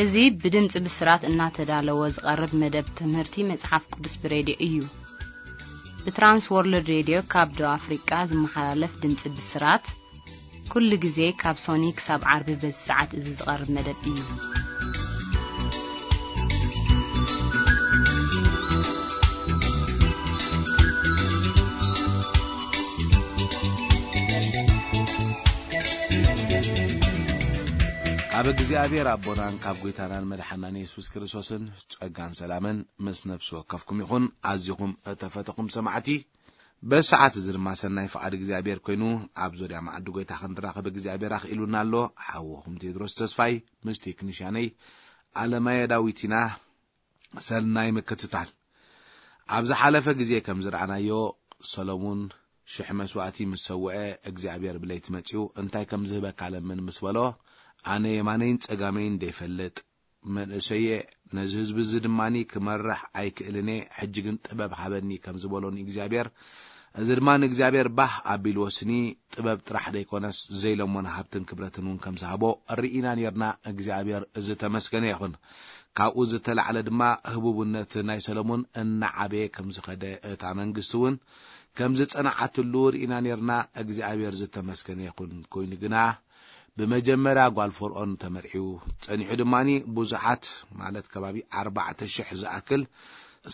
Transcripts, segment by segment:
እዚ ብድምጺ ብስራት እናተዳለወ ዝቐርብ መደብ ትምህርቲ መጽሓፍ ቅዱስ ብሬድዮ እዩ። ብትራንስ ወርልድ ሬድዮ ካብ ደቡብ ኣፍሪቃ ዝመሓላለፍ ድምጺ ብስራት፣ ኩሉ ግዜ ካብ ሶኒ ክሳብ ዓርቢ በዚ ሰዓት እዚ ዝቐርብ መደብ እዩ። ካብ እግዚኣብሔር ኣቦናን ካብ ጐይታናን መድሓናን የሱስ ክርስቶስን ጸጋን ሰላምን ምስ ነፍሲ ወከፍኩም ይኹን። ኣዚኹም እተፈተኹም ሰማዕቲ፣ በዚ ሰዓት እዚ ድማ ሰናይ ፍቓድ እግዚኣብሔር ኮይኑ፣ ኣብ ዙርያ መዓዲ ጐይታ ክንራኸብ እግዚኣብሔር ኣኽኢሉና ኣሎ። ሓወኹም ቴድሮስ ተስፋይ ምስ ቴክኒሽያነይ ኣለማየ ዳዊት ኢና። ሰናይ ምክትታል። ኣብ ዝሓለፈ ግዜ ከም ዝረኣናዮ፣ ሰሎሙን ሽሕ መስዋእቲ ምስ ሰውአ፣ እግዚኣብሔር ብለይቲ መጺኡ፣ "እንታይ ከም ዝህበካ ለምን?" ምስ በሎ፣ "ኣነ የማነይን ጸጋመይን ደይፈልጥ፣ መንእሰየ፣ ነዚ ህዝቢ እዚ ድማኒ ክመርሕ ኣይክእልን እየ፣ ሕጂ ግን ጥበብ ሃበኒ" ከም ዝበሎ ንእግዚኣብሔር፣ እዚ ድማ ንእግዚኣብሔር ባህ ኣቢልዎ ስኒ፣ ጥበብ ጥራሕ ደይኮነስ፣ ዘይለሞን ሃብትን ክብረትን እውን ከም ዝሃቦ ርኢና ኔርና። እግዚኣብሔር ዝተመስገነ ይኹን። ካብኡ ዝተላዕለ ድማ ህቡብነት ናይ ሰሎሞን እናዓበየ ከም ዝኸደ፣ እታ መንግስቲ እውን ከም ዝጸንዓትሉ ርኢና ኔርና። እግዚኣብሔር ዝተመስገነ ይኹን። ኮይኑ ግና ብመጀመርያ ጓል ፈርዖን ተመርዒው፣ ጸኒሑ ድማኒ ብዙሓት፣ ማለት ከባቢ ኣርባዕተ ሽሕ ዝኣክል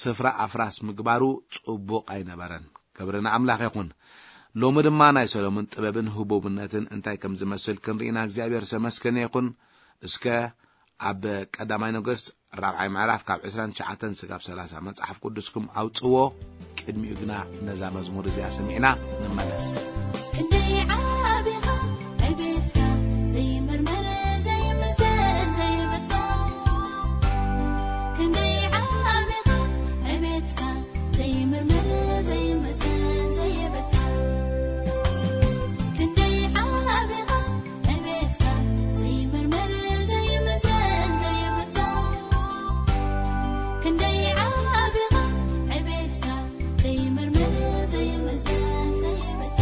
ስፍራ ኣፍራስ ምግባሩ ጽቡቕ ኣይነበረን። ክብሪ ንኣምላኽ ይኹን። ሎሚ ድማ ናይ ሰሎሞን ጥበብን ህቡብነትን እንታይ ከም ዝመስል ክንርኢና እግዚኣብሔር ዝተመስገነ ይኹን። እስከ ኣብ ቀዳማይ ነገስት ራብዓይ ምዕራፍ ካብ ዕስራን ትሽዓተን ስጋብ ሰላሳ መጽሓፍ ቅዱስኩም ኣውጽዎ። ቅድሚኡ ግና ነዛ መዝሙር እዚኣ ሰሚዕና ንመለስ። ክንደይ ዓቢኻ ዕቤትካ ዘይምርመር ዘይምዘን ዘይብጾ። ክንደይ ዓቢኻ ዕቤትካ ዘይምርመር ዘይምዘን ዘይብጾ። ክንደይ ዓቢኻ ዕቤትካ ዘይምርመር ዘይምዘን ዘይብጾ። ክንደይ ዓቢኻ ዕቤትካ ዘይምርመር ዘይምዘን ዘይብጾ።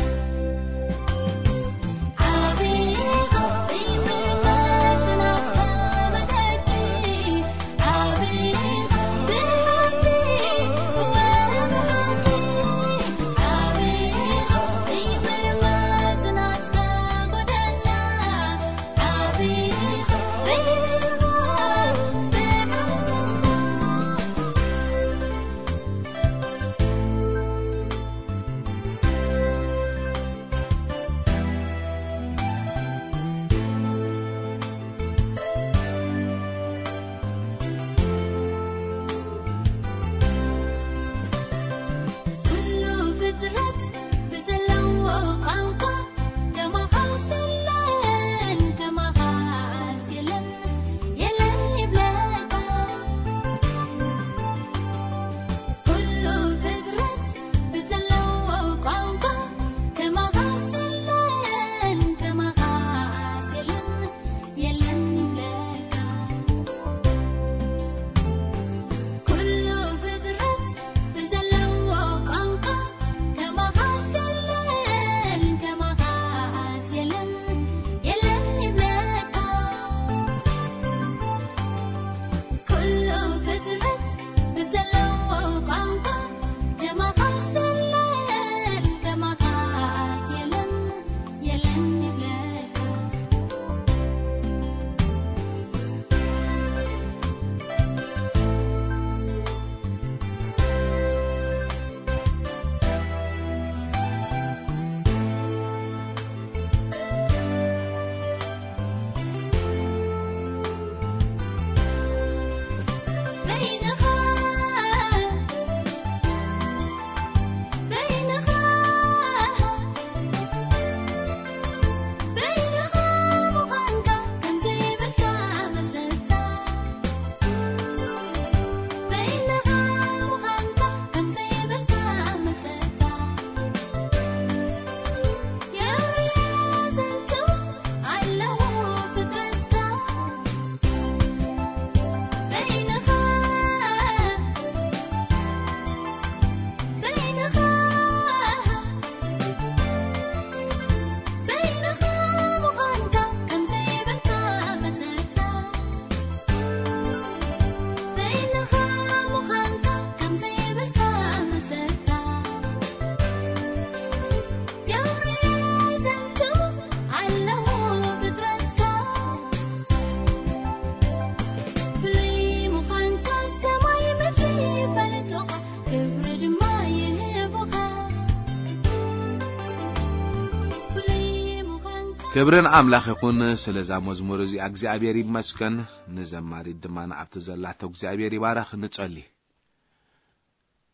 ክብርን ኣምላኽ ይኹን ስለዛ መዝሙር እዚኣ እግዚኣብሔር ይመስገን። ንዘማሪት ድማ ንኣብቲ ዘላቶ እግዚኣብሔር ይባረኽ። ንጸሊ።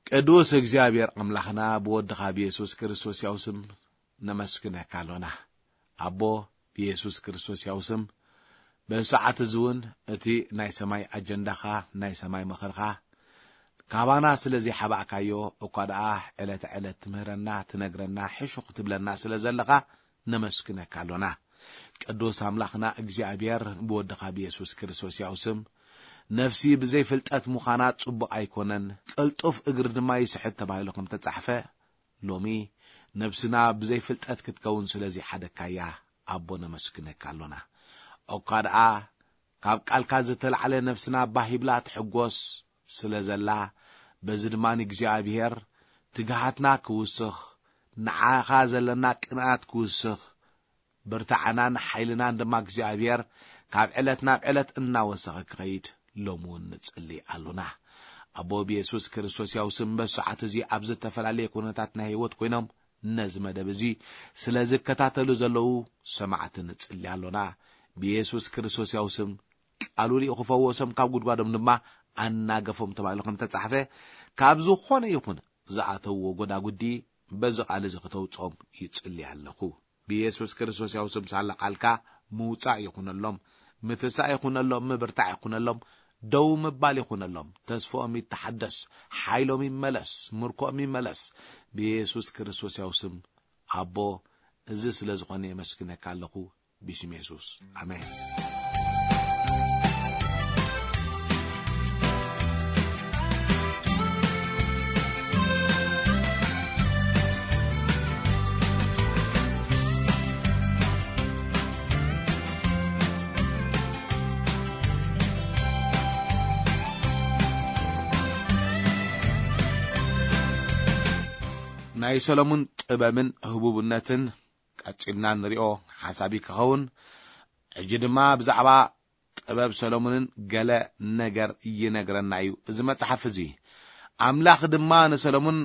ቅዱስ እግዚኣብሔር ኣምላኽና ብወድኻ ብየሱስ ክርስቶስ ያው ስም ነመስግነካ ኣሎና። ኣቦ ብየሱስ ክርስቶስ ያው ስም በዚ ሰዓት እዚ እውን እቲ ናይ ሰማይ ኣጀንዳኻ ናይ ሰማይ ምኽርኻ ካባና ስለ ዘይሓባእካዮ እኳ ደኣ ዕለት ዕለት ትምህረና ትነግረና ሕሹኽ ትብለና ስለ ዘለኻ ነመስግነካ ኣሎና። ቅዱስ ኣምላኽና እግዚኣብሔር ብወድኻ ብየሱስ ክርስቶስ ያው ስም ነፍሲ ብዘይ ፍልጠት ምዃና ጽቡቕ ኣይኮነን፣ ቅልጡፍ እግሪ ድማ ይስሕት ተባሂሉ ከም ተጻሕፈ ሎሚ ነፍስና ብዘይ ፍልጠት ክትከውን ስለ ዘይሓደካያ ኣቦ ነመስግነካ ኣሎና። እኳ ደኣ ካብ ቃልካ ዝተላዕለ ነፍስና ባህ ይብላ ትሕጎስ ስለ ዘላ በዚ ድማ ንእግዚኣብሔር ትግሃትና ክውስኽ ንዓኻ ዘለና ቅንኣት ክውስኽ ብርታዕናን ሓይልናን ድማ እግዚኣብሔር ካብ ዕለት ናብ ዕለት እናወሰኸ ክኸይድ ሎሚ እውን ንጽሊ ኣሉና። ኣቦ ብየሱስ ክርስቶስ ያው ስም በዚ ሰዓት እዚ ኣብ ዝተፈላለየ ኩነታት ናይ ህይወት ኮይኖም ነዚ መደብ እዚ ስለ ዝከታተሉ ዘለዉ ሰማዕቲ ንጽሊ ኣሎና። ብየሱስ ክርስቶስ ያው ስም ቃሉ ሊኡ ክፈወሶም ካብ ጉድጓዶም ድማ ኣናገፎም ተባሂሉ ከም ተጻሕፈ ካብ ዝኾነ ይኹን ዝኣተውዎ ጎዳጉዲ በዚ ቃል እዚ ክተውጾም ይጽሊ ኣለኹ። ብየሱስ ክርስቶስ ያው ስም ሳላ ቃልካ ምውጻእ ይኹነሎም፣ ምትሳእ ይኹነሎም፣ ምብርታዕ ይኹነሎም፣ ደው ምባል ይኹነሎም። ተስፎኦም ይተሓደስ፣ ሓይሎም ይመለስ፣ ምርኮኦም ይመለስ። ብየሱስ ክርስቶስ ያው ስም ኣቦ እዚ ስለ ዝኾነ የመስግነካ ኣለኹ። ብሽም የሱስ ኣሜን። ናይ ሰሎሙን ጥበብን ህቡብነትን ቀጺልና ንሪኦ ሓሳብ ክኸውን። ሕጂ ድማ ብዛዕባ ጥበብ ሰሎሙንን ገለ ነገር ይነግረና እዩ እዚ መጽሓፍ እዚ። ኣምላኽ ድማ ንሰሎሙን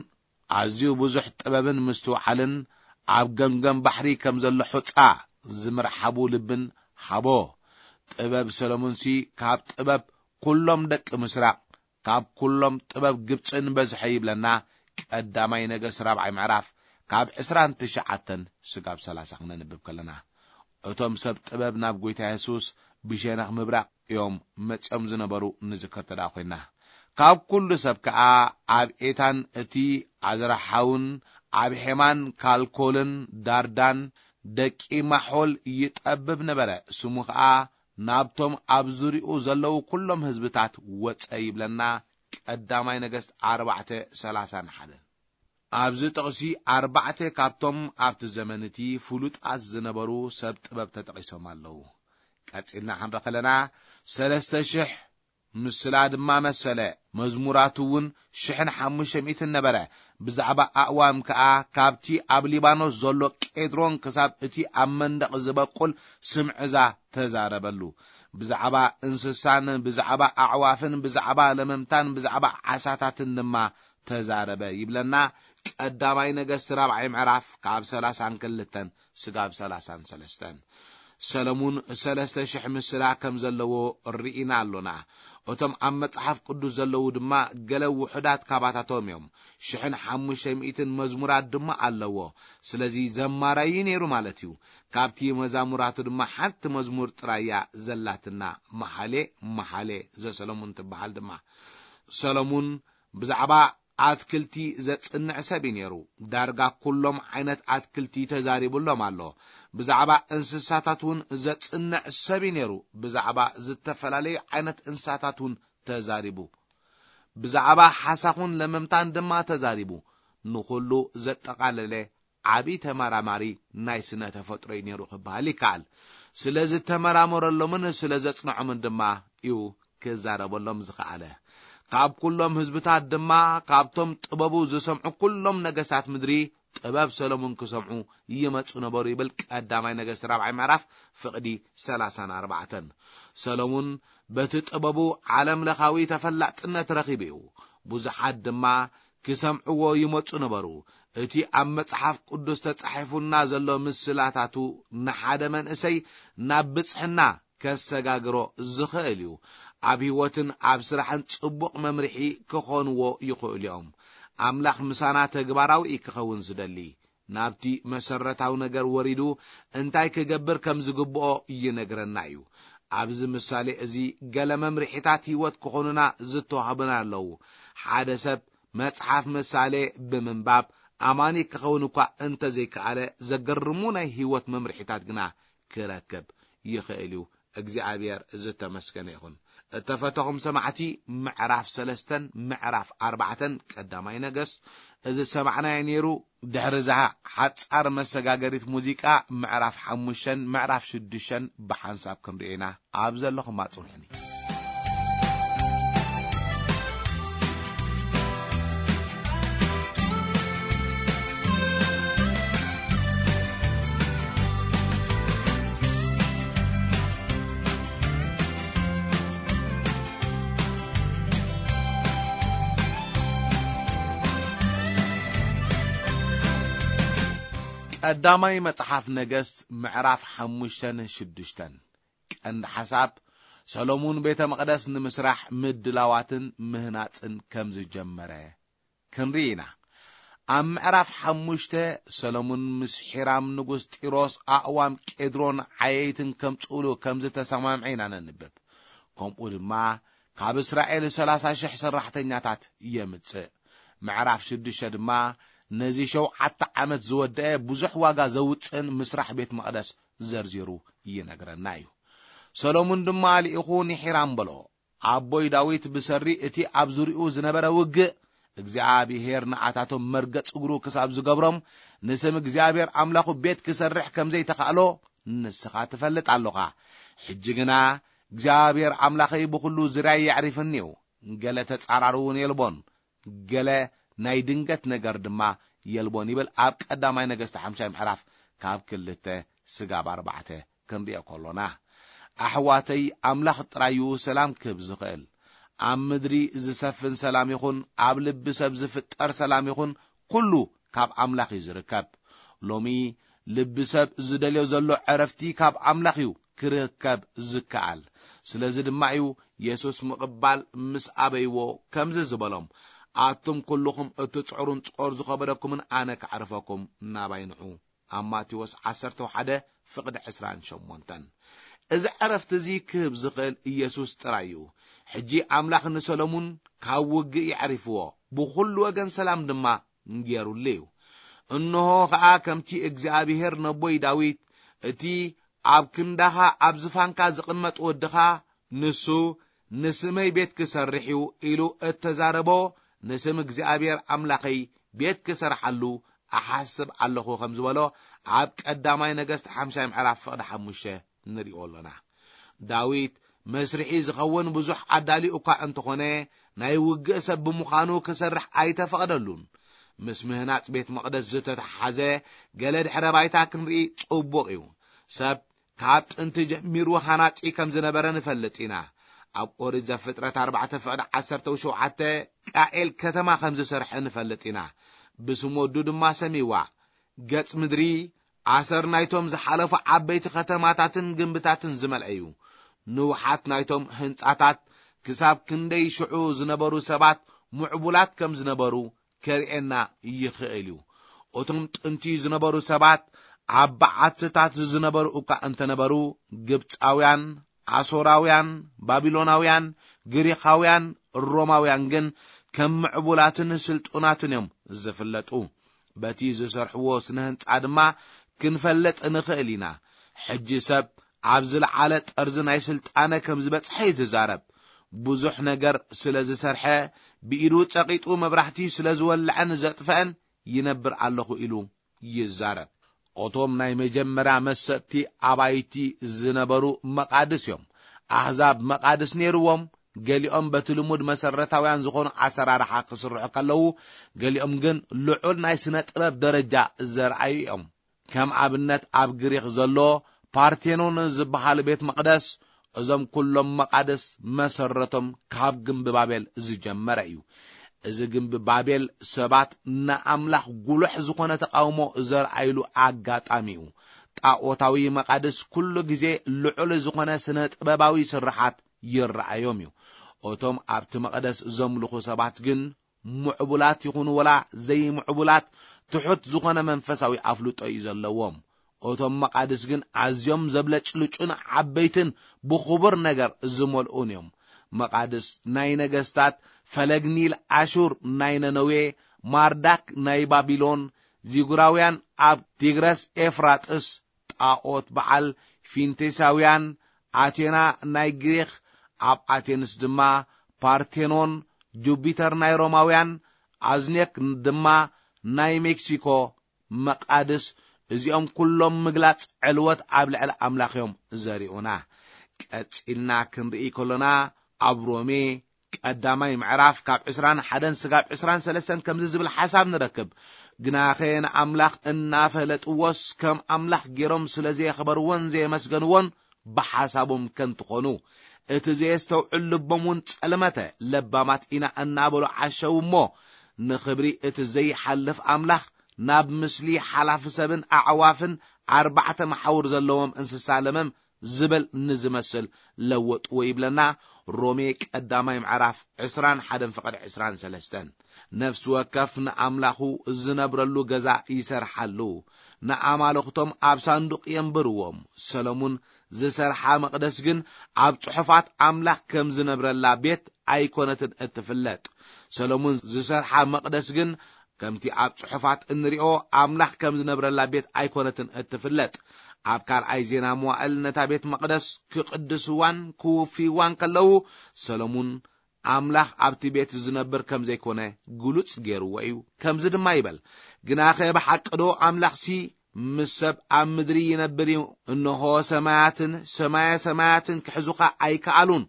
ኣዝዩ ብዙሕ ጥበብን ምስትውዓልን ኣብ ገምገም ባሕሪ ከም ዘሎ ሑጻ ዝምርሓቡ ልብን ሃቦ። ጥበብ ሰሎሙንሲ ካብ ጥበብ ኩሎም ደቂ ምስራቕ ካብ ኩሎም ጥበብ ግብጽን በዝሐ ይብለና። ቀዳማይ ነገስት ራብዓይ ምዕራፍ ካብ ዕስራን ትሽዓተን ስጋብ ሰላሳ ክነንብብ ከለና እቶም ሰብ ጥበብ ናብ ጎይታ የሱስ ብሸነኽ ምብራቕ እዮም መጺኦም ዝነበሩ ንዝከር ተደኣ ኮይና ካብ ኩሉ ሰብ ከኣ ኣብ ኤታን እቲ ኣዝራሓውን ኣብ ሄማን ካልኮልን ዳርዳን ደቂ ማሖል ይጠብብ ነበረ። ስሙ ከኣ ናብቶም ኣብ ዙሪኡ ዘለዉ ኩሎም ህዝብታት ወጸ ይብለና። ቀዳማይ ነገስት ኣርባዕተ ሰላሳን ሓደን። ኣብዚ ጥቕሲ ኣርባዕተ ካብቶም ኣብቲ ዘመን እቲ ፍሉጣት ዝነበሩ ሰብ ጥበብ ተጠቒሶም ኣለዉ። ቀጺልና ክንርኢ ከለና ሰለስተ ሽሕ ምስላ ድማ መሰለ። መዝሙራቱ እውን ሽሕን ሓሙሽተ ሚእትን ነበረ። ብዛዕባ ኣእዋም ከኣ ካብቲ ኣብ ሊባኖስ ዘሎ ቄድሮን ክሳብ እቲ ኣብ መንደቕ ዝበቁል ስምዕዛ ተዛረበሉ። ብዛዕባ እንስሳን ብዛዕባ ኣዕዋፍን ብዛዕባ ለመምታን ብዛዕባ ዓሳታትን ድማ ተዛረበ ይብለና። ቀዳማይ ነገስት ራብዓይ ምዕራፍ ካብ ሰላሳን ክልተን ስጋብ ሰላሳን ሰለስተን። ሰለሙን ሰለስተ ሽሕ ምስላ ከም ዘለዎ ርኢና ኣሎና። እቶም ኣብ መጽሓፍ ቅዱስ ዘለዉ ድማ ገለ ውሑዳት ካባታቶም እዮም። ሽሕን ሓሙሽተ ሚእትን መዝሙራት ድማ ኣለዎ። ስለዚ ዘማራይ ነይሩ ማለት እዩ። ካብቲ መዛሙራቱ ድማ ሓንቲ መዝሙር ጥራያ ዘላትና፣ መሓሌ መሓሌ ዘሰለሙን ትበሃል ድማ። ሰሎሙን ብዛዕባ ኣትክልቲ ዘጽንዕ ሰብ እዩ ነይሩ። ዳርጋ ኩሎም ዓይነት ኣትክልቲ ተዛሪቡሎም ኣሎ። ብዛዕባ እንስሳታት እውን ዘጽንዕ ሰብ እዩ ነይሩ። ብዛዕባ ዝተፈላለዩ ዓይነት እንስሳታት እውን ተዛሪቡ። ብዛዕባ ሓሳኹን ለመምታን ድማ ተዛሪቡ። ንኹሉ ዘጠቓለለ ዓቢ ተመራማሪ ናይ ስነ ተፈጥሮ እዩ ነይሩ ክበሃል ይከኣል። ስለ ዝተመራመረሎምን ስለ ዘጽንዖምን ድማ እዩ ክዛረበሎም ዝኸኣለ። ካብ ኩሎም ህዝብታት ድማ ካብቶም ጥበቡ ዝሰምዑ ኩሎም ነገስታት ምድሪ ጥበብ ሰሎሙን ክሰምዑ ይመጹ ነበሩ ይብል ቀዳማይ ነገስት ራብዓይ ምዕራፍ ፍቕዲ ሰላሳን ኣርባዕተን። ሰሎሙን በቲ ጥበቡ ዓለም ለኻዊ ተፈላጥነት ረኺቡ እዩ። ብዙሓት ድማ ክሰምዕዎ ይመጹ ነበሩ። እቲ ኣብ መጽሓፍ ቅዱስ ተጻሒፉና ዘሎ ምስላታቱ ንሓደ መንእሰይ ናብ ብጽሕና ከሰጋግሮ ዝኽእል እዩ። ኣብ ህይወትን ኣብ ስራሕን ጽቡቕ መምርሒ ክኾንዎ ይኽእሉ እዮም። ኣምላኽ ምሳና ተግባራዊ እዩ ክኸውን ዝደሊ። ናብቲ መሰረታዊ ነገር ወሪዱ እንታይ ክገብር ከም ዝግብኦ ይነግረና እዩ። ኣብዚ ምሳሌ እዚ ገለ መምርሒታት ህይወት ክኾኑና ዝተዋህቡና ኣለዉ። ሓደ ሰብ መጽሓፍ ምሳሌ ብምንባብ ኣማኒ ክኸውን እኳ እንተዘይከኣለ፣ ዘገርሙ ናይ ህይወት መምርሒታት ግና ክረክብ ይኽእል እዩ። እግዚኣብሔር ዝተመስገነ ይኹን። እተፈተኹም ሰማዕቲ፣ ምዕራፍ ሰለስተን ምዕራፍ ኣርባዕተን ቀዳማይ ነገስ እዚ ሰማዕናዮ ነይሩ። ድሕሪ እዛ ሓጻር መሰጋገሪት ሙዚቃ፣ ምዕራፍ ሓሙሽተን ምዕራፍ ሽዱሽተን ብሓንሳብ ክንርእዮ ኢና። ኣብ ዘለኹም ኣጽንሑኒ። ቀዳማይ መጽሓፍ ነገስት ምዕራፍ ሓሙሽተን ሽዱሽተን። ቀንዲ ሓሳብ፣ ሰሎሙን ቤተ መቕደስ ንምስራሕ ምድላዋትን ምህናጽን ከም ዝጀመረ ክንርኢ ኢና። ኣብ ምዕራፍ ሓሙሽተ፣ ሰሎሙን ምስ ሒራም ንጉስ ጢሮስ ኣእዋም ቄድሮን ዓየይትን ከምጽኡሉ ከም ዝተሰማምዐ ኢና ነንብብ። ከምኡ ድማ ካብ እስራኤል ሰላሳ ሽሕ ሰራሕተኛታት የምጽእ። ምዕራፍ ሽዱሽተ ድማ ነዚ ሸውዓተ ዓመት ዝወደአ ብዙሕ ዋጋ ዘውጽእን ምስራሕ ቤት መቕደስ ዘርዚሩ ይነግረና እዩ። ሰሎሙን ድማ ልኢኹ ንሒራም በሎ፣ ኣቦይ ዳዊት ብሰሪ እቲ ኣብ ዙሪኡ ዝነበረ ውግእ እግዚኣብሔር ንኣታቶም መርገጽ እግሩ ክሳብ ዝገብሮም ንስም እግዚኣብሔር ኣምላኹ ቤት ክሰርሕ ከም ዘይተኻእሎ ንስኻ ትፈልጥ ኣሎኻ። ሕጂ ግና እግዚኣብሔር ኣምላኸይ ብኹሉ ዝርያይ የዕሪፍኒ እዩ። ገለ ተጻራሪ እውን የልቦን፣ ገለ ናይ ድንገት ነገር ድማ የልቦን ይብል ኣብ ቀዳማይ ነገስት ሓምሻይ ምዕራፍ ካብ ክልተ ስጋብ ኣርባዕተ ክንሪኦ ከሎና። ኣሕዋተይ፣ ኣምላኽ ጥራዩ ሰላም ክህብ ዝኽእል። ኣብ ምድሪ ዝሰፍን ሰላም ይኹን፣ ኣብ ልቢ ሰብ ዝፍጠር ሰላም ይኹን፣ ኩሉ ካብ ኣምላኽ እዩ ዝርከብ። ሎሚ ልቢ ሰብ ዝደልዮ ዘሎ ዕረፍቲ ካብ ኣምላኽ እዩ ክርከብ ዝከኣል። ስለዚ ድማ እዩ የሱስ ምቕባል ምስ ኣበይዎ ከምዚ ዝበሎም፣ ኣቱም ኩልኹም እትጽዕሩን ጾር ዝኸበደኩምን ኣነ ከዕርፈኩም ናባይ ንዑ። ኣብ ማቴዎስ ዓሰርተ ሓደ ፍቕዲ ዕስራን ሸሞንተን። እዚ ዕረፍቲ እዚ ክህብ ዝኽእል ኢየሱስ ጥራይ እዩ። ሕጂ ኣምላኽ ንሰሎሙን ካብ ውግእ የዕሪፍዎ፣ ብኹሉ ወገን ሰላም ድማ ገይሩሉ እዩ። እንሆ ኸኣ ከምቲ እግዚኣብሔር ነቦይ ዳዊት፣ እቲ ኣብ ክንዳኻ ኣብ ዝፋንካ ዝቕመጥ ወድኻ፣ ንሱ ንስመይ ቤት ክሰርሕ እዩ ኢሉ እተዛረቦ፣ ንስም እግዚኣብሔር ኣምላኸይ ቤት ክሰርሓሉ እሓስብ ኣለኹ ከም ዝበሎ ኣብ ቀዳማይ ነገስት ሓምሻይ ምዕራፍ ፍቕዲ ሓሙሽተ ንሪኦ ኣሎና። ዳዊት መስርሒ ዝኸውን ብዙሕ ኣዳልዩ እኳ እንተኾነ፣ ናይ ውግእ ሰብ ብምዃኑ ክሰርሕ ኣይተፈቕደሉን። ምስ ምህናጽ ቤት መቕደስ ዝተተሓሓዘ ገለ ድሕረ ባይታ ክንርኢ ጽቡቕ እዩ። ሰብ ካብ ጥንቲ ጀሚሩ ሃናጺ ከም ዝነበረ ንፈልጥ ኢና። ኣብ ኦሪት ዘፍጥረት ኣርባዕተ ፍቕዲ ዓሰርተ ሸውዓተ ቃኤል ከተማ ከም ዝሰርሐ ንፈልጥ ኢና። ብስም ወዱ ድማ ሰሚዋ። ገጽ ምድሪ ኣሰር ናይቶም ዝሓለፉ ዓበይቲ ከተማታትን ግንብታትን ዝመልአ እዩ። ንውሓት ናይቶም ህንጻታት ክሳብ ክንደይ ሽዑ ዝነበሩ ሰባት ምዕቡላት ከም ዝነበሩ ከርእየና ይኽእል እዩ። እቶም ጥንቲ ዝነበሩ ሰባት ኣብ በዓትታት ዝነበሩ እኳ እንተነበሩ፣ ግብጻውያን፣ ኣሶራውያን፣ ባቢሎናውያን፣ ግሪኻውያን፣ ሮማውያን ግን ከም ምዕቡላትን ስልጡናትን እዮም ዝፍለጡ። በቲ ዝሰርሕዎ ስነ ህንጻ ድማ ክንፈልጥ ንኽእል ኢና። ሕጂ ሰብ ኣብ ዝለዓለ ጠርዚ ናይ ስልጣነ ከም ዝበጽሐ እዩ ዝዛረብ። ብዙሕ ነገር ስለ ዝሰርሐ፣ ብኢዱ ጸቒጡ መብራህቲ ስለ ዝወልዐን ዘጥፍአን ይነብር ኣለኹ ኢሉ ይዛረብ። እቶም ናይ መጀመርያ መሰጥቲ ኣባይቲ ዝነበሩ መቓድስ እዮም። ኣህዛብ መቓድስ ነይርዎም። ገሊኦም በቲ ልሙድ መሰረታውያን ዝኾኑ ኣሰራርሓ ክስርሑ ከለዉ፣ ገሊኦም ግን ልዑል ናይ ስነ ጥበብ ደረጃ ዘርኣዩ እዮም። ከም ኣብነት ኣብ ግሪኽ ዘሎ ፓርቴኖን ዝበሃል ቤት መቕደስ፣ እዞም ኩሎም መቓድስ መሰረቶም ካብ ግምቢ ባቤል ዝጀመረ እዩ። እዚ ግንቢ ባቤል ሰባት ንኣምላኽ ጉሉሕ ዝኾነ ተቓውሞ ዘርኣይሉ ኣጋጣሚ እዩ። ጣኦታዊ መቓድስ ኩሉ ግዜ ልዑል ዝኾነ ስነ ጥበባዊ ስርሓት ይረኣዮም እዩ። እቶም ኣብቲ መቕደስ ዘምልኹ ሰባት ግን ምዕቡላት ይኹኑ ወላ ዘይምዕቡላት ትሑት ዝኾነ መንፈሳዊ ኣፍልጦ እዩ ዘለዎም። እቶም መቓድስ ግን ኣዝዮም ዘብለጭልጩን ዓበይትን ብኽቡር ነገር ዝመልኡን እዮም። መቓድስ ናይ ነገስታት፣ ፈለግ ኒል ኣሹር ናይ ነነዌ፣ ማርዳክ ናይ ባቢሎን፣ ዚጉራውያን ኣብ ቲግረስ ኤፍራጥስ፣ ጣኦት በዓል ፊንቴሳውያን፣ ኣቴና ናይ ግሪኽ፣ ኣብ ኣቴንስ ድማ ፓርቴኖን፣ ጁፒተር ናይ ሮማውያን፣ ኣዝኔክ ድማ ናይ ሜክሲኮ፣ መቓድስ፣ እዚኦም ኩሎም ምግላጽ ዕልወት ኣብ ልዕሊ ኣምላኽ እዮም ዘርእዩና። ቀጺልና ክንርኢ ከሎና፣ ኣብ ሮሜ ቀዳማይ ምዕራፍ ካብ ዕስራን ሓደን ስጋብ ዕስራን ሰለስተን ከምዚ ዝብል ሓሳብ ንረክብ። ግናኸ ንኣምላኽ እናፈለጥዎስ፣ ከም ኣምላኽ ገይሮም ስለ ዘየኽበርዎን ዘየመስገንዎን፣ ብሓሳቦም ከንቱ ኾኑ። እቲ ዘየስተውዕል ልቦም እውን ጸልመተ። ለባማት ኢና እናበሉ ዓሸው እሞ፣ ንኽብሪ እቲ ዘይሓልፍ ኣምላኽ፣ ናብ ምስሊ ሓላፊ ሰብን ኣዕዋፍን ኣርባዕተ መሓውር ዘለዎም እንስሳ ለመም ዝበል ንዝመስል ለወጥዎ ይብለና። ሮሜ ቀዳማይ ምዕራፍ ዕስራን ሓደን ፍቕዲ ዕስራን ሰለስተን። ነፍሲ ወከፍ ንኣምላኹ ዝነብረሉ ገዛ ይሰርሓሉ፣ ንኣማልኽቶም ኣብ ሳንዱቕ የንብርዎም። ሰሎሙን ዝሰርሓ መቕደስ ግን ኣብ ጽሑፋት ኣምላኽ ከም ዝነብረላ ቤት ኣይኮነትን እትፍለጥ። ሰሎሙን ዝሰርሓ መቕደስ ግን ከምቲ ኣብ ጽሑፋት እንሪኦ ኣምላኽ ከም ዝነብረላ ቤት ኣይኮነትን እትፍለጥ። ኣብ ካልኣይ ዜና መዋእል ነታ ቤት መቕደስ ክቕድስዋን ክውፍይዋን ከለዉ፣ ሰሎሙን ኣምላኽ ኣብቲ ቤት ዝነብር ከም ዘይኮነ ግሉጽ ገይርዎ እዩ። ከምዚ ድማ ይበል፣ "ግናኸ ብሓቂ ዶ ኣምላኽሲ ምስ ሰብ ኣብ ምድሪ ይነብር እዩ? እንሆ ሰማያትን ሰማየ ሰማያትን ክሕዙኻ ኣይከኣሉን።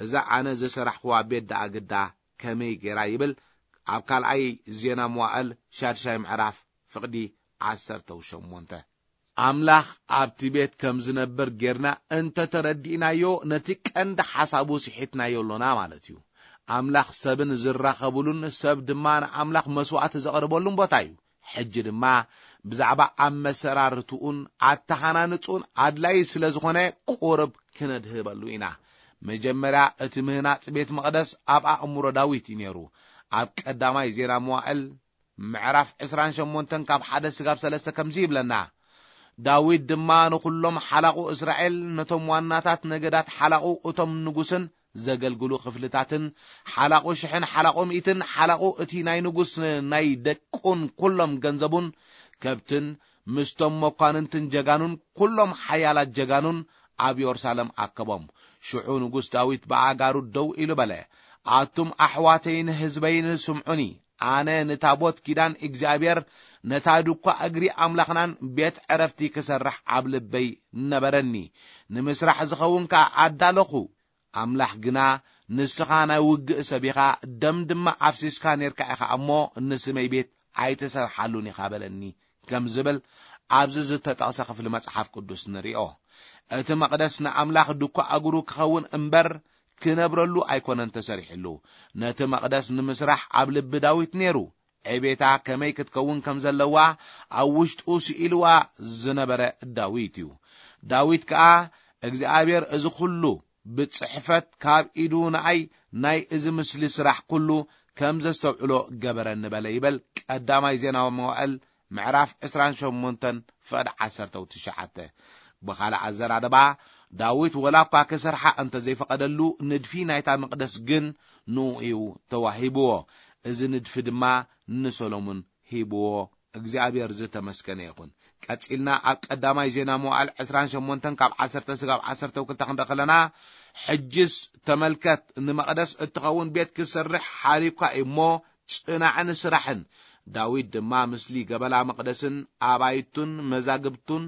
እዛ ኣነ ዝሰራሕኽዋ ቤት ደኣ ግዳ ከመይ ገይራ?" ይብል ኣብ ካልኣይ ዜና መዋእል ሻድሻይ ምዕራፍ ፍቕዲ ዓሰርተ ሸሞንተ። ኣምላኽ ኣብቲ ቤት ከም ዝነብር ጌርና እንተ ተረዲእናዮ፣ ነቲ ቀንዲ ሓሳቡ ስሒትናዮ ኣሎና ማለት እዩ። ኣምላኽ ሰብን ዝራኸቡሉን ሰብ ድማ ንኣምላኽ መስዋዕቲ ዘቕርበሉን ቦታ እዩ። ሕጂ ድማ ብዛዕባ ኣመሰራርትኡን ኣተሃናንጽኡን ኣድላዪ ስለ ዝኾነ፣ ቁርብ ክነድህበሉ ኢና። መጀመርያ እቲ ምህናጽ ቤት መቕደስ ኣብ ኣእምሮ ዳዊት እዩ ነይሩ። ኣብ ቀዳማይ ዜና መዋእል ምዕራፍ ዕስራን ሸሞንተን ካብ ሓደ ስጋብ ሰለስተ ከምዚ ይብለና፣ "ዳዊት ድማ ንኹሎም ሓላቑ እስራኤል፣ ነቶም ዋናታት ነገዳት ሓላቑ፣ እቶም ንጉስን ዘገልግሉ ክፍልታትን፣ ሓላቑ ሽሕን ሓላቑ ሚእትን፣ ሓላቑ እቲ ናይ ንጉስ ናይ ደቁን ኩሎም ገንዘቡን ከብትን፣ ምስቶም መኳንንትን ጀጋኑን ኩሎም ሓያላት ጀጋኑን ኣብ የሩሳሌም ኣከቦም። ሽዑ ንጉስ ዳዊት ብኣጋሩ ደው ኢሉ በለ፣ ኣቱም ኣሕዋተይን ህዝበይን ስምዑኒ። ኣነ ንታቦት ኪዳን እግዚኣብሔር፣ ነታ ድኳ እግሪ ኣምላኽናን ቤት ዕረፍቲ ክሰርሕ ኣብ ልበይ ነበረኒ። ንምስራሕ ዝኸውን ከኣ ኣዳለኹ። ኣምላኽ ግና፣ ንስኻ ናይ ውግእ ሰብ ኢኻ፣ ደም ድማ ኣፍሲስካ ኔርካ ኢኻ እሞ፣ ንስመይ ቤት ኣይትሰርሓሉን ኢኻ በለኒ" ከም ዝብል ኣብዚ ዝተጠቕሰ ክፍሊ መጽሓፍ ቅዱስ ንሪኦ። እቲ መቕደስ ንኣምላኽ ድኳ እግሩ ክኸውን እምበር፣ ክነብረሉ ኣይኮነን ተሰሪሕሉ። ነቲ መቕደስ ንምስራሕ ኣብ ልቢ ዳዊት ነይሩ። ዕቤታ ከመይ ክትከውን ከም ዘለዋ ኣብ ውሽጡ ስኢልዋ ዝነበረ ዳዊት እዩ። ዳዊት ከኣ፣ "እግዚኣብሔር እዚ ኹሉ ብጽሕፈት ካብ ኢዱ ንኣይ ናይ እዚ ምስሊ ስራሕ ኩሉ ከም ዘስተውዕሎ ገበረኒ" በለ ይበል ቀዳማይ ዜና መዋእል ምዕራፍ ዕስራን ሸሞንተን ፍቕዲ ዓሰርተ ትሽዓተ። ብኻልእ ኣዘራርባ፣ ዳዊት ወላ እኳ ክሰርሓ እንተ ዘይፈቐደሉ፣ ንድፊ ናይታ መቕደስ ግን ንኡ እዩ ተዋሂብዎ። እዚ ንድፊ ድማ ንሰሎሙን ሂብዎ። እግዚኣብሔር ዝተመስገነ ይኹን። ቀጺልና ኣብ ቀዳማይ ዜና መዋዕል ዕስራን ሸሞንተን ካብ ዓሰርተ ስጋብ ዓሰርተ ክልተ ክንርኢ ከለና፣ "ሕጅስ ተመልከት፣ ንመቕደስ እትኸውን ቤት ክሰርሕ ሓሪኳ እዩ እሞ፣ ጽናዕን ስራሕን።" ዳዊት ድማ ምስሊ ገበላ መቕደስን ኣባይቱን መዛግብቱን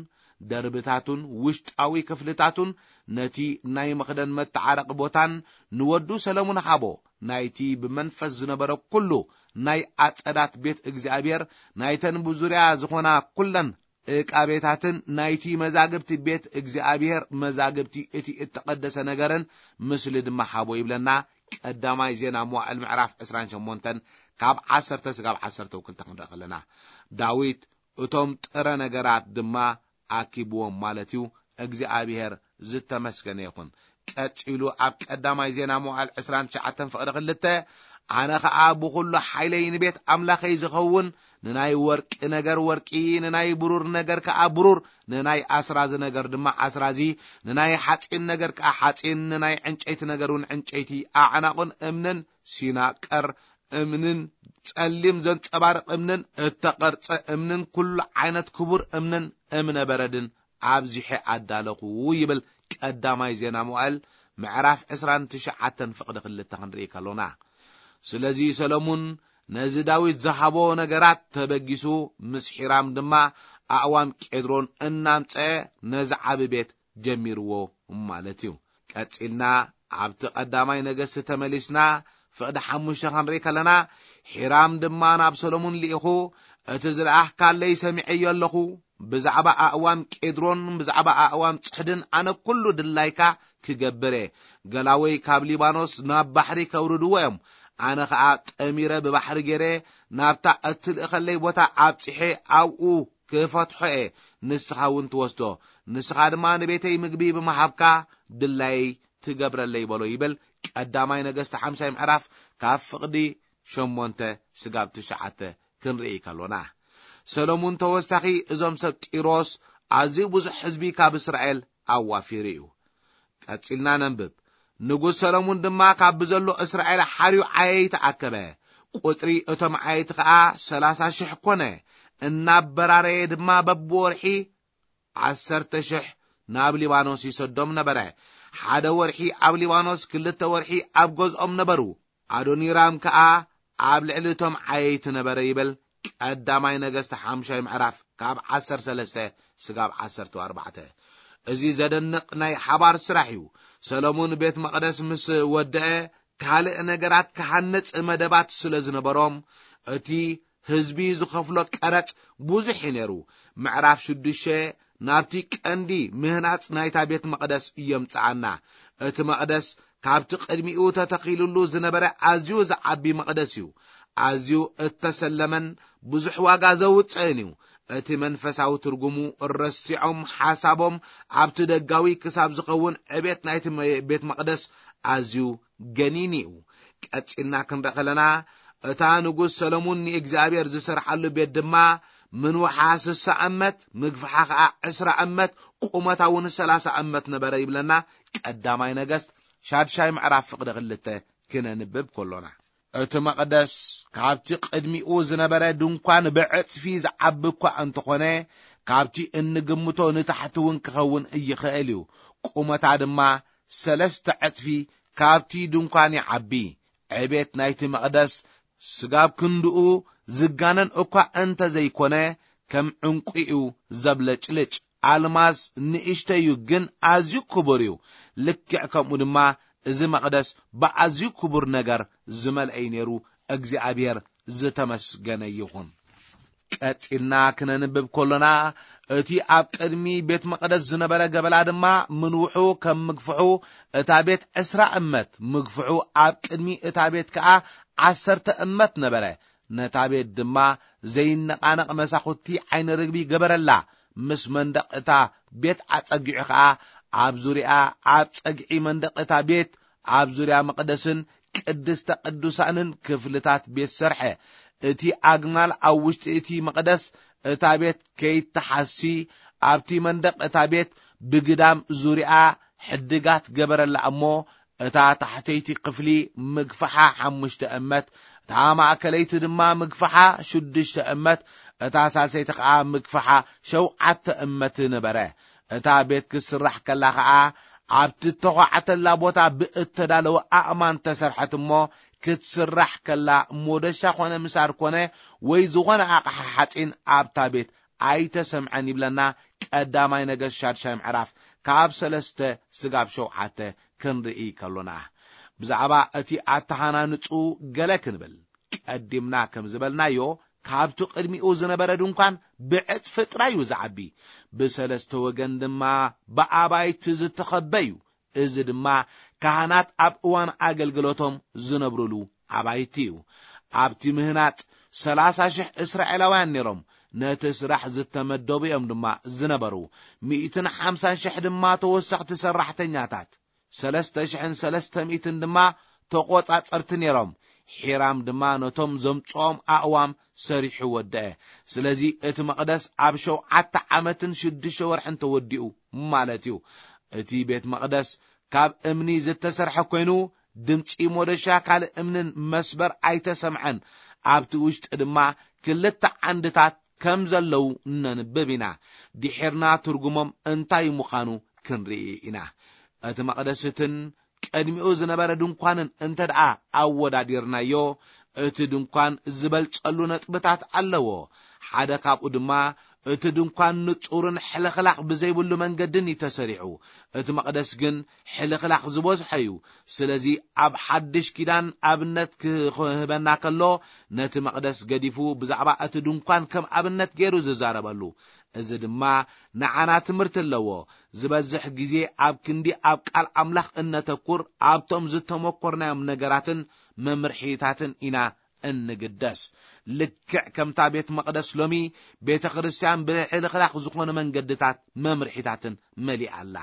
ደርብታቱን ውሽጣዊ ክፍልታቱን ነቲ ናይ መኽደን መተዓረቂ ቦታን ንወዱ ሰለሙን ሃቦ። ናይቲ ብመንፈስ ዝነበረ ኩሉ ናይ ኣጸዳት ቤት እግዚኣብሔር፣ ናይተን ብዙርያ ዝኾና ኩለን ዕቃቤታትን ናይቲ መዛግብቲ ቤት እግዚኣብሔር መዛግብቲ እቲ እተቐደሰ ነገርን ምስሊ ድማ ሃቦ ይብለና። ቀዳማይ ዜና መዋዕል ምዕራፍ ዕስራን ሸሞንተን ካብ ዓሰርተ ስጋብ ዓሰርተ ክልተ ክንርኢ ከለና፣ ዳዊት እቶም ጥረ ነገራት ድማ ኣኪብዎም ማለት እዩ። እግዚኣብሔር ዝተመስገነ ይኹን። ቀጺሉ ኣብ ቀዳማይ ዜና መዋዕል ዕስራን ትሽዓተን ፍቕዲ ክልተ፣ ኣነ ኸኣ ብኹሉ ሓይለይ ንቤት ኣምላኸይ ዝኸውን ንናይ ወርቂ ነገር ወርቂ፣ ንናይ ብሩር ነገር ከኣ ብሩር፣ ንናይ ኣስራዚ ነገር ድማ ኣስራዚ፣ ንናይ ሓጺን ነገር ከኣ ሓጺን፣ ንናይ ዕንጨይቲ ነገር እውን ዕንጨይቲ፣ ኣዕናቑን እምንን ሲናቀር እምንን ጸሊም ዘንጸባርቕ እምንን እተቐርጸ እምንን ኩሉ ዓይነት ክቡር እምንን እምነ በረድን ኣብዚሐ ኣዳለኹ ይብል ቀዳማይ ዜና መዋዕል ምዕራፍ ዕስራን ትሽዓተን ፍቕዲ ክልተ ክንርኢ ከሎና። ስለዚ ሰሎሙን ነዚ ዳዊት ዝሃቦ ነገራት ተበጊሱ ምስ ሒራም ድማ ኣእዋም ቄድሮን እናምጸአ ነዚ ዓቢ ቤት ጀሚርዎ ማለት እዩ። ቀጺልና ኣብቲ ቀዳማይ ነገስቲ ተመሊስና ፍቕዲ ሓሙሽተ ክንርኢ ከለና፣ ሒራም ድማ ናብ ሰሎሙን ልኢኹ፣ እቲ ዝለኣኽካለይ ሰሚዐዮ ኣለኹ፣ ብዛዕባ ኣእዋም ቄድሮን ብዛዕባ ኣእዋም ጽሕድን ኣነ ኩሉ ድላይካ ክገብር እየ። ገላወይ ካብ ሊባኖስ ናብ ባሕሪ ከውርድዎ እዮም፣ ኣነ ኸኣ ጠሚረ ብባሕሪ ገይረ ናብታ እትልእኸለይ ቦታ ኣብጺሐ ኣብኡ ክፈትሖ እየ፣ ንስኻ እውን ትወስዶ። ንስኻ ድማ ንቤተይ ምግቢ ብምሃብካ ድላየይ ትገብረለይ በሎ ይብል ቀዳማይ ነገስቲ ሓምሻይ ምዕራፍ ካብ ፍቕዲ ሸሞንተ ስጋብ ትሽዓተ ክንርኢ ከሎና። ሰሎሙን ተወሳኺ እዞም ሰብ ጢሮስ ኣዝዩ ብዙሕ ህዝቢ ካብ እስራኤል ኣዋፊሩ እዩ። ቀጺልና ነንብብ። ንጉስ ሰሎሙን ድማ ካብ ብዘሎ እስራኤል ሓርዩ ዓየይቲ ኣከበ። ቁጽሪ እቶም ዓየይቲ ኸኣ ሰላሳ ሽሕ ኮነ። እናበራረየ ድማ በብወርሒ ዓሰርተ ሽሕ ናብ ሊባኖስ ይሰዶም ነበረ። ሓደ ወርሒ ኣብ ሊባኖስ፣ ክልተ ወርሒ ኣብ ገዝኦም ነበሩ። ኣዶኒራም ከኣ ኣብ ልዕሊ እቶም ዓየይቲ ነበረ ይብል ቀዳማይ ነገስቲ ሓምሻይ ምዕራፍ ካብ ዓሰርተ ሰለስተ ስጋብ ዓሰርተ ኣርባዕተ። እዚ ዘደንቕ ናይ ሓባር ስራሕ እዩ። ሰሎሙን ቤት መቕደስ ምስ ወደአ፣ ካልእ ነገራት ክሃንጽ መደባት ስለ ዝነበሮም፣ እቲ ህዝቢ ዝኸፍሎ ቀረጽ ብዙሕ እዩ ነይሩ። ምዕራፍ ሽዱሽተ ናብቲ ቀንዲ ምህናጽ ናይታ ቤት መቕደስ የምጽኣና። እቲ መቕደስ ካብቲ ቅድሚኡ ተተኺሉሉ ዝነበረ ኣዝዩ ዝዓቢ መቕደስ እዩ። ኣዝዩ እተሰለመን ብዙሕ ዋጋ ዘውጽእን እዩ። እቲ መንፈሳዊ ትርጉሙ ረሲዖም ሓሳቦም ኣብቲ ደጋዊ ክሳብ ዝኸውን ዕቤት ናይቲ መ-፣ ቤት መቕደስ ኣዝዩ ገኒኒ እዩ። ቀጺልና ክንርኢ ከለና፣ እታ ንጉስ ሰሎሙን ንእግዚኣብሔር ዝሰርሓሉ ቤት ድማ ምንውሓ ስሳ እመት፣ ምግፍሓ ኸኣ ዕስራ እመት፣ ቁመታ እውን ሰላሳ እመት ነበረ ይብለና ቀዳማይ ነገስት ሻድሻይ ምዕራፍ ፍቕዲ ክልተ ክነንብብ ከሎና። እቲ መቕደስ ካብቲ ቅድሚኡ ዝነበረ ድንኳን ብዕጽፊ ዝዓቢ እኳ እንተኾነ፣ ካብቲ እንግምቶ ንታሕቲ እውን ክኸውን ይኽእል እዩ። ቁመታ ድማ ሰለስተ ዕጽፊ ካብቲ ድንኳን ይዓቢ። ዕቤት ናይቲ መቕደስ ስጋብ ክንድኡ ዝጋነን እኳ እንተ ዘይኮነ፣ ከም ዕንቁ እዩ ዘብለጭልጭ። ኣልማዝ ንእሽተይ እዩ፣ ግን ኣዝዩ ክቡር እዩ። ልክዕ ከምኡ ድማ እዚ መቕደስ ብኣዝዩ ክቡር ነገር ዝመልአ እዩ ነይሩ። እግዚኣብሔር ዝተመስገነ ይኹን። ቀጺልና ክነንብብ ከሎና፣ እቲ ኣብ ቅድሚ ቤት መቕደስ ዝነበረ ገበላ ድማ ምንውሑ ከም ምግፍሑ፣ እታ ቤት ዕስራ እመት፣ ምግፍሑ ኣብ ቅድሚ እታ ቤት ከኣ ዓሰርተ እመት ነበረ። ነታ ቤት ድማ ዘይነቓነቕ መሳኹቲ ዓይኒ ርግቢ ገበረላ። ምስ መንደቕ እታ ቤት ኣጸጊዑ ኸኣ ኣብ ዙርያ፣ ኣብ ጸግዒ መንደቕ እታ ቤት፣ ኣብ ዙርያ መቕደስን ቅድስተ ቅዱሳንን ክፍልታት ቤት ሰርሐ። እቲ ኣግማል ኣብ ውሽጢ እቲ መቕደስ እታ ቤት ከይተሓሲ፣ ኣብቲ መንደቕ እታ ቤት ብግዳም ዙርያ ሕድጋት ገበረላ እሞ፣ እታ ታሕተይቲ ክፍሊ ምግፍሓ ሓሙሽተ እመት፣ እታ ማእከለይቲ ድማ ምግፍሓ ሽዱሽተ እመት፣ እታ ሳልሰይቲ ኸኣ ምግፍሓ ሸውዓተ እመት ነበረ። እታ ቤት ክትስራሕ ከላ ኸኣ፣ ኣብቲ እተዃዕተላ ቦታ ብእተዳለወ ኣእማን ተሰርሐት እሞ፣ ክትስራሕ ከላ ሞደሻ ኾነ ምሳር ኮነ ወይ ዝኾነ ኣቕሓ ሓጺን ኣብታ ቤት ኣይተሰምዐን ይብለና ቀዳማይ ነገስት ሻድሻይ ምዕራፍ ካብ ሰለስተ ስጋብ ሸውዓተ ክንርኢ ከሎና። ብዛዕባ እቲ ኣተሃናንጹ ገለ ክንብል። ቀዲምና ከም ዝበልናዮ፣ ካብቲ ቅድሚኡ ዝነበረ ድንኳን ብዕጽፊ ጥራይ እዩ ዝዓቢ። ብሰለስተ ወገን ድማ ብኣባይቲ ዝተኸበ እዩ። እዚ ድማ ካህናት ኣብ እዋን ኣገልግሎቶም ዝነብሩሉ ኣባይቲ እዩ። ኣብቲ ምህናጽ ሰላሳ ሽሕ እስራኤላውያን ነይሮም። ነቲ ስራሕ ዝተመደቡ እዮም ድማ ዝነበሩ። ሚእትን ሓምሳን ሽሕ ድማ ተወሰኽቲ ሰራሕተኛታት፣ ሰለስተ ሽሕን ሰለስተ ሚእትን ድማ ተቖጻጸርቲ ነይሮም። ሒራም ድማ ነቶም ዘምጽኦም ኣእዋም ሰሪሑ ወደአ። ስለዚ እቲ መቕደስ ኣብ ሸውዓተ ዓመትን ሽዱሽተ ወርሕን ተወዲኡ ማለት እዩ። እቲ ቤት መቕደስ ካብ እምኒ ዝተሰርሐ ኮይኑ፣ ድምጺ ሞደሻ ካልእ እምንን መስበር ኣይተሰምዐን። ኣብቲ ውሽጢ ድማ ክልተ ዓንድታት ከም ዘለዉ ነንብብ ኢና። ድሒርና ትርጉሞም እንታይ ምዃኑ ክንርኢ ኢና። እቲ መቕደስትን ቅድሚኡ ዝነበረ ድንኳንን እንተ ደኣ ኣወዳዲርናዮ፣ እቲ ድንኳን ዝበልጸሉ ነጥብታት ኣለዎ። ሓደ ካብኡ ድማ እቲ ድንኳን ንጹርን ሕልኽላኽ ብዘይብሉ መንገድን እዩ ተሰሪዑ። እቲ መቕደስ ግን ሕልኽላኽ ዝበዝሖ እዩ። ስለዚ ኣብ ሓድሽ ኪዳን ኣብነት ክህበና ከሎ፣ ነቲ መቕደስ ገዲፉ ብዛዕባ እቲ ድንኳን ከም ኣብነት ገይሩ ዝዛረበሉ። እዚ ድማ ንዓና ትምህርቲ ኣለዎ። ዝበዝሕ ግዜ ኣብ ክንዲ ኣብ ቃል ኣምላኽ እነተኩር፣ ኣብቶም ዝተመኮርናዮም ነገራትን መምርሒታትን ኢና እንግደስ። ልክዕ ከምታ ቤት መቕደስ ሎሚ፣ ቤተ ክርስቲያን ብሕልኽላኽ ዝኾነ መንገድታት መምርሒታትን መሊኣ ኣላ።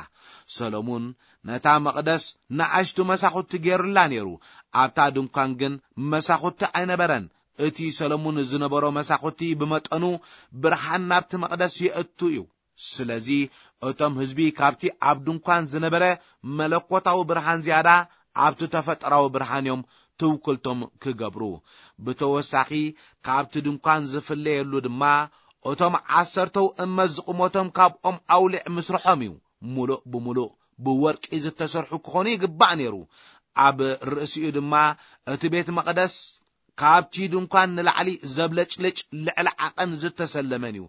ሰሎሙን ነታ መቕደስ ንኣሽቱ መሳኹቲ ገይሩላ ነይሩ። ኣብታ ድንኳን ግን መሳኹቲ ኣይነበረን። እቲ ሰሎሙን ዝነበሮ መሳኹቲ ብመጠኑ ብርሃን ናብቲ መቕደስ የእቱ እዩ። ስለዚ እቶም ህዝቢ ካብቲ ኣብ ድንኳን ዝነበረ መለኮታዊ ብርሃን ዝያዳ ኣብቲ ተፈጥራዊ ብርሃን እዮም ትውክልቶም ክገብሩ። ብተወሳኺ ካብቲ ድንኳን ዝፍለየሉ ድማ እቶም ዓሰርተው እመት ዝቕሞቶም ካብኦም ኣውሊዕ ምስርሖም እዩ። ሙሉእ ብሙሉእ ብወርቂ ዝተሰርሑ ክኾኑ ይግባእ ነይሩ። ኣብ ርእሲኡ ድማ እቲ ቤት መቕደስ ካብቲ ድንኳን ንላዕሊ ዘብለጭልጭ ልዕሊ ዓቐን ዝተሰለመን እዩ።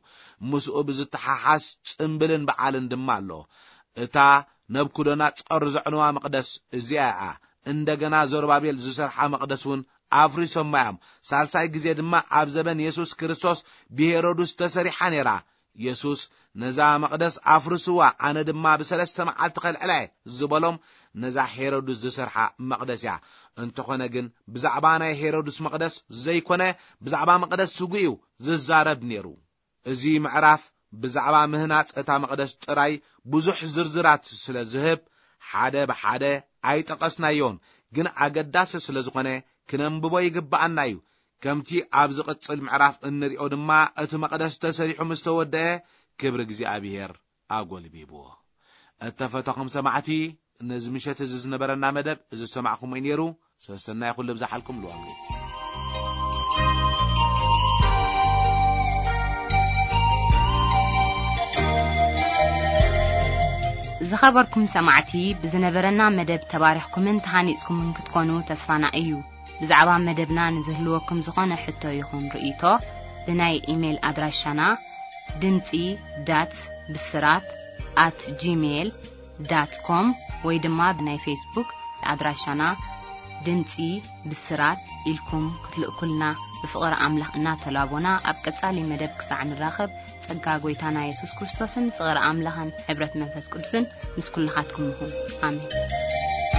ምስኡ ብዝተሓሓዝ ጽምብልን በዓልን ድማ ኣሎ። እታ ነብኩደነጾር ዘዕነዋ መቕደስ እዚኣ እያ። እንደገና ዘሩባቤል ዝሰርሓ መቕደስ እውን ኣፍሪሶማ እዮም። ሳልሳይ ግዜ ድማ ኣብ ዘበን የሱስ ክርስቶስ ብሄሮድስ ተሰሪሓ ነይራ። የሱስ፣ "ነዛ መቕደስ ኣፍርስዋ፣ ኣነ ድማ ብሰለስተ መዓልቲ ከልዕላ እየ" ዝበሎም፣ ነዛ ሄሮድስ ዝሰርሓ መቕደስ እያ። እንተኾነ ግን፣ ብዛዕባ ናይ ሄሮድስ መቕደስ ዘይኮነ፣ ብዛዕባ መቕደስ ስጉ እዩ ዝዛረብ ነይሩ። እዚ ምዕራፍ ብዛዕባ ምህናጽ እታ መቕደስ ጥራይ ብዙሕ ዝርዝራት ስለ ዝህብ፣ ሓደ ብሓደ ኣይጠቐስናዮን፣ ግን ኣገዳሲ ስለ ዝኾነ ክነንብቦ ይግብኣና እዩ። ከምቲ ኣብ ዝቕጽል ምዕራፍ እንሪኦ ድማ፣ እቲ መቕደስ ተሰሪሑ ምስ ተወደአ፣ ክብሪ እግዚኣብሔር ኣጎልቢብዎ። እተፈተኹም ሰማዕቲ፣ ነዚ ምሸት እዚ ዝነበረና መደብ እዚ ዝሰማዕኹም እዩ ነይሩ። ሰሰናይ ኩሉ ብዝሓልኩም ልዋሉ። ዝኸበርኩም ሰማዕቲ፣ ብዝነበረና መደብ ተባሪኽኩምን ተሃኒጽኩምን ክትኮኑ ተስፋና እዩ። ብዛዕባ መደብና ንዝህልወኩም ዝኾነ ሕቶ ይኹን ርእይቶ፣ ብናይ ኢሜይል ኣድራሻና ድምጺ ዳት ብስራት ኣት ጂሜይል ዳት ኮም ወይ ድማ ብናይ ፌስቡክ ኣድራሻና ድምጺ ብስራት ኢልኩም ክትልእኩልና ብፍቕሪ ኣምላኽ እናተላቦና፣ ኣብ ቀጻሊ መደብ ክሳዕ ንራኸብ፣ ጸጋ ጐይታና የሱስ ክርስቶስን ፍቕሪ ኣምላኽን ሕብረት መንፈስ ቅዱስን ምስ ኩልኻትኩም ይኹን። ኣሜን።